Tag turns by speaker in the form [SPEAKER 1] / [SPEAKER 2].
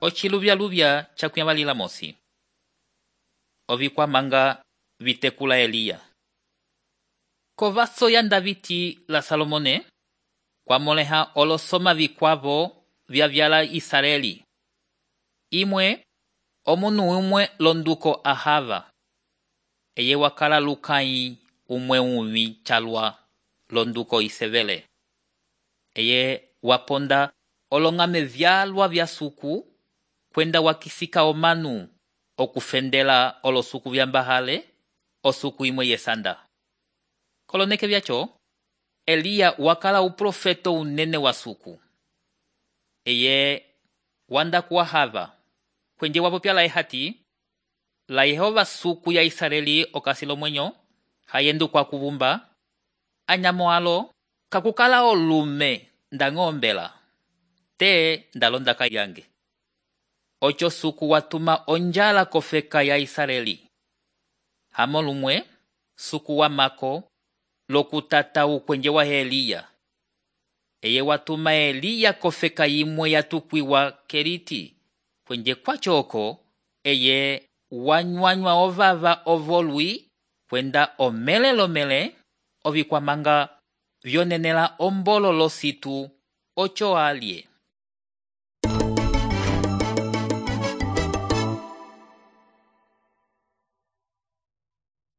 [SPEAKER 1] Ociluvyaluvya cakuyavalila mosi. Ovikwamanga vitekula Eliya. Kovaso yanda viti la Salomone, kwamoleha olosoma vikwavo vyavyala Israeli. Imwe, omunu umwe londuko Ahava. Eye wakala lukai umwe umi chalwa londuko Isevele. Eye waponda olongame vyalwa vya suku, kwenda wakisika omanu okufendela olosuku vyambahale, osuku imwe yesanda. Koloneke vyacho, Eliya wakala uprofeto unene wa suku. Eye wanda kuahava, kwenye wapopyala ehati, la Yehova suku ya Israeli okasilo mwenyo, hayendu kwa kuvumba, anyamoalo, kakukala olume ndangombela, te ndalondaka yange. Ocho suku watuma onjala kofeka ya Israeli. Hamolumwe, suku wa mako, lokutata ukwenje wa Eliya. Eye watuma Eliya kofeka imwe yatukwiwa Keriti, kwenje kwa choko, eye wanywanywa ovava ovolwi, kwenda omelelomele, ovikwamanga vyonenela ombolo lo situ, ocho alye.